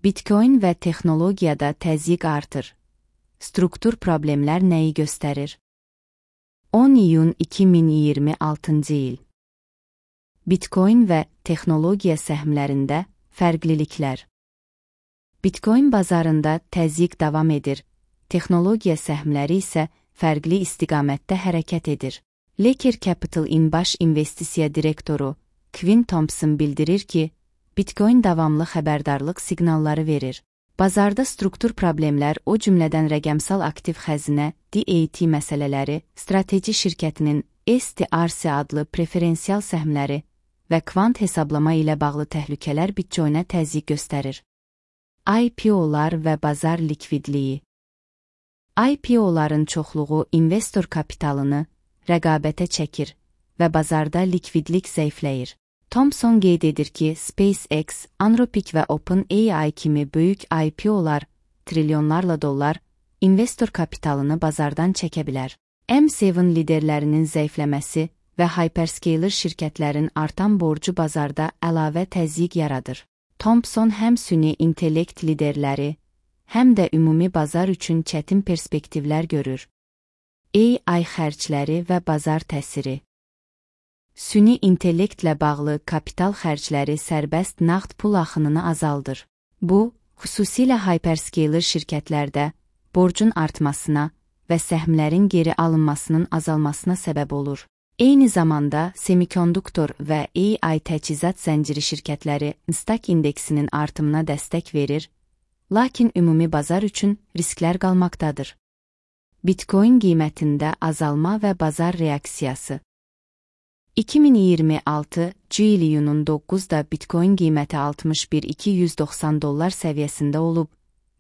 Bitcoin və texnologiyada təzyiq artır. Struktur problemlər nəyi göstərir? 10 iyun 2026 il. Bitcoin və texnologiya səhmlərində fərqliliklər. Bitcoin bazarında təzyiq davam edir, texnologiya səhmləri isə fərqli istiqamətdə hərəkət edir. Laker Capital-in baş investisiya direktoru Quinn Thompson bildirir ki, Bitcoin davamlı xəbərdarlıq siqnalları verir. Bazarda struktur problemlər, o cümlədən rəqəmsal aktiv xəzinə DAT məsələləri, strateji şirkətinin STRC adlı preferensial səhmləri və kvant hesablama ilə bağlı təhlükələr Bitcoinə təzyiq göstərir. IPO-lar və bazar likvidliyi. IPO-ların çoxluğu investor kapitalını rəqabətə çəkir və bazarda likvidlik zəifləyir. Thompson qeyd edir ki, SpaceX, Anthropic və OpenAI kimi böyük IPO-lar trilyonlarla dollar investor kapitalını bazardan çəkə bilər. M7 liderlərinin zəifləməsi və hyperscaler şirkətlərin artan borcu bazarda əlavə təzyiq yaradır. Thompson həm süni intellekt liderləri, həm də ümumi bazar üçün çətin perspektivlər görür. AI xərcləri və bazar təsiri. Süni intellektlə bağlı kapital xərcləri sərbəst nağd pul axınını azaldır. Bu, xüsusilə hyperscaler şirkətlərdə borcun artmasına və səhmlərin geri alınmasının azalmasına səbəb olur. Eyni zamanda semikonduktor və AI təchizat zənciri şirkətləri Nasdaq indeksinin artımına dəstək verir, lakin ümumi bazar üçün risklər qalmaqdadır. Bitcoin qiymətində azalma və bazar reaksiyası. 2026 iyunun 9-da Bitcoin qiyməti 61.290 dollar səviyyəsində olub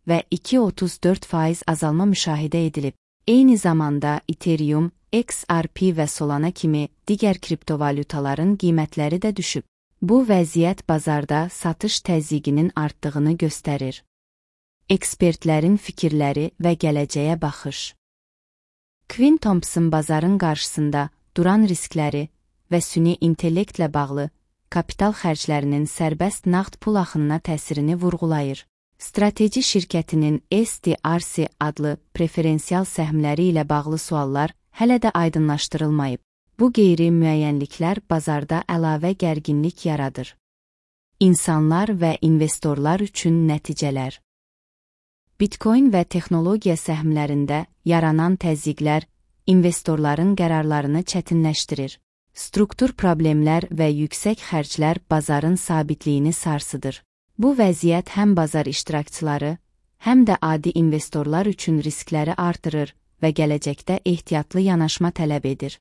və 2,34% azalma müşahidə edilib. Eyni zamanda Ethereum, XRP və Solana kimi digər kriptovalyutaların qiymətləri də düşüb. Bu vəziyyət bazarda satış təzyiqinin artdığını göstərir. Ekspertlərin fikirləri və gələcəyə baxış. Quinn Thompson bazarın qarşısında duran riskləri və süni intellektlə bağlı kapital xərclərinin sərbəst nağd pul axınına təsirini vurğulayır. Strateji şirkətinin STRC adlı preferensial səhmləri ilə bağlı suallar hələ də aydınlaşdırılmayıb. Bu qeyri-müəyyənliklər bazarda əlavə gərginlik yaradır. İnsanlar və investorlar üçün nəticələr. Bitcoin və texnologiya səhmlərində yaranan təzyiqlər investorların qərarlarını çətinləşdirir. Struktur problemlər və yüksək xərclər bazarın sabitliyini sarsıdır. Bu vəziyyət həm bazar iştirakçıları, həm də adi investorlar üçün riskləri artırır və gələcəkdə ehtiyatlı yanaşma tələb edir.